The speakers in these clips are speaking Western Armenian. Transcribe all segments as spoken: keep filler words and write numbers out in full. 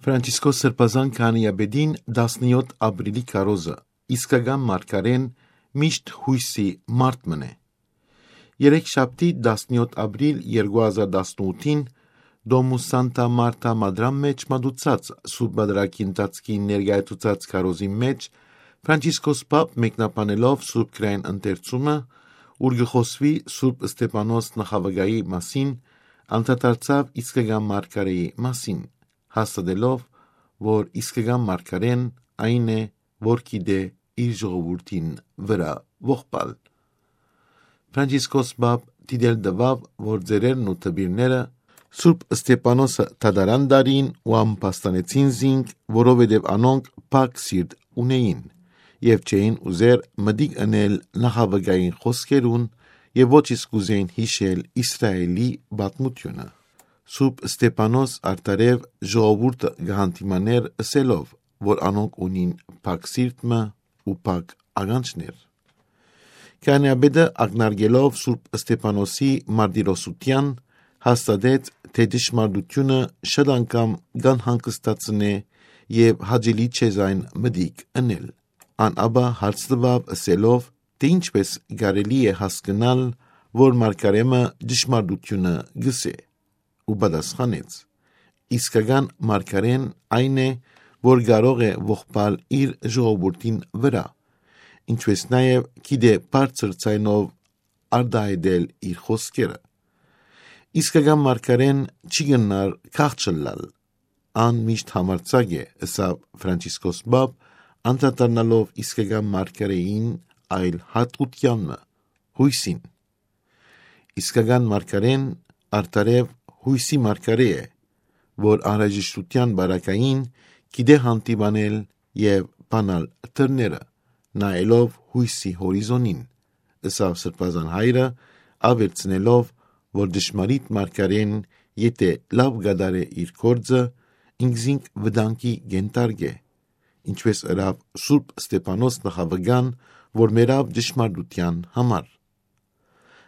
Ֆրանցիսկոս Սրբազան քահանայապետին տասնեօթ ապրիլի քարոզը, իսկական մարգարեն միշտ յոյսի մարդ մըն է։ Երեքշաբթի տասնեօթ ապրիլ երկու հազար տասնութին Դոմուս Սանտա Մարթա Մադրան մէջ մատուցած Սուրբ Պատարագի ընթացքին ներկայացուցած քարոզին մէջ Ֆրանցիսկոս Պապ մեկնաբանելով Սուրբ Գրային ընթերցումը, ուր կը խօսուի Սուրբ Ստեփանոս նախավկայի մասին, անդրադարձաւ իսկական մարգարեի մասին, հաստատելով, որ իսկական մարգարեն այն է, որ գիտէ իր ժողովուրդին վրայ ողբալ։ Ֆրանցիսկոս Պապ դիտել տուաւ, որ ծերերն ու դպիրները Սուրբ Ստեփանոսը դատարան տարին ու ամբաստանեցին զինք, որովհետեւ անոնք փակ սիրտ ունէին եւ չէին ուզեր մտիկ ընել նախավկային խօսքերուն եւ ոչ իսկ կ'ուզէին յիշել Իսրայէլի պատմութիւնը։ Սուրբ Ստեփանոս արդարեւ ժողովուրդը կը հանդիմանէր ըսելով, որ անոնք ունին փակ սիրտ մը ու փակ ականջներ։ Քահանայապետը ակնարկելով Սուրբ Ստեփանոսի մարտիրոսութեան, հաստատեց, թէ ճշմարտութիւնը շատ անգամ կ'անհանգստացնէ եւ հաճելի չէ զայն մտիկ ընել։ Ան ապա հարց տուաւ ըսելով, թէ ինչպէս կարելի է հասկնալ, որ մարգարէ մը ճշմարտութիւնը կ'ըսէ, ու պատասխանեց. «Իսկական մարգարեն այն է, որ կարող է ողբալ իր ժողովուրդին վրայ, ինչպէս նաեւ գիտէ բարձր ձայնով արտայայտել իր խօսքերը։ Իսկական մարգարեն չի կրնար քաղց ըլլալ, ան միշտ համարձակ է», ըսաւ Ֆրանցիսկոս Պապ, անդրադառնալով իսկական մարգարէին այլ յատկութեան մը՝ յոյսին։ Իսկական մարգարեն արդարեւ յոյսի մարգարէ է, որ անհրաժեշտութեան պարագային գիտէ հանդիմանել եւ բանալ դռները, նայելով յոյսի հորիզոնին, ըսաւ Սրբազան հայրը, աւելցնելով, որ ճշմարիտ մարգարեն, եթէ լաւ կատարէ իր գործը, ինքզինք վտանգի կենտարկէ, ինչպէս ըրաւ Սուրբ Ստեփանոս նախավկան, որ մեռաւ ճշմարտութեան համար։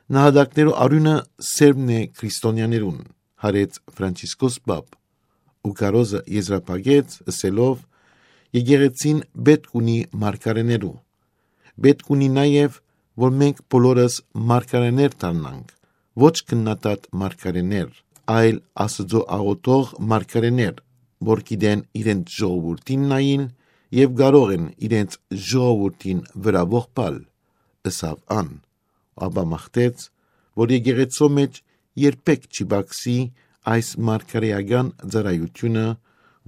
«Նահատակներու արիւնը սերմն է քրիստոնեաներուն», յարեց Ֆրանցիսկոս Պապ, ու քարոզը եզրափակեց ըսելով. «Եկեղեցին պէտք ունի մարգարեներու։ Պէտք ունի նաեւ, որ մենք բոլորս մարգարեներ դառնանք, ոչ քննադատ մարգարեներ, այլ Աստուծոյ աղօթող մարգարեներ, որ գիտեն իրենց ժողովուրդին նայիլ եւ կարող են իրենց ժողովուրդին վրայ ողբալ», ըսաւ ան, ապա մաղթեց, որ եկեղեցու մէջ երբեք չի պակսի այս մարգարէական ծառայութիւնը,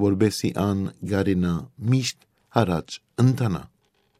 որպէսզի ան կարենայ միշտ յառաջ ընթանայ։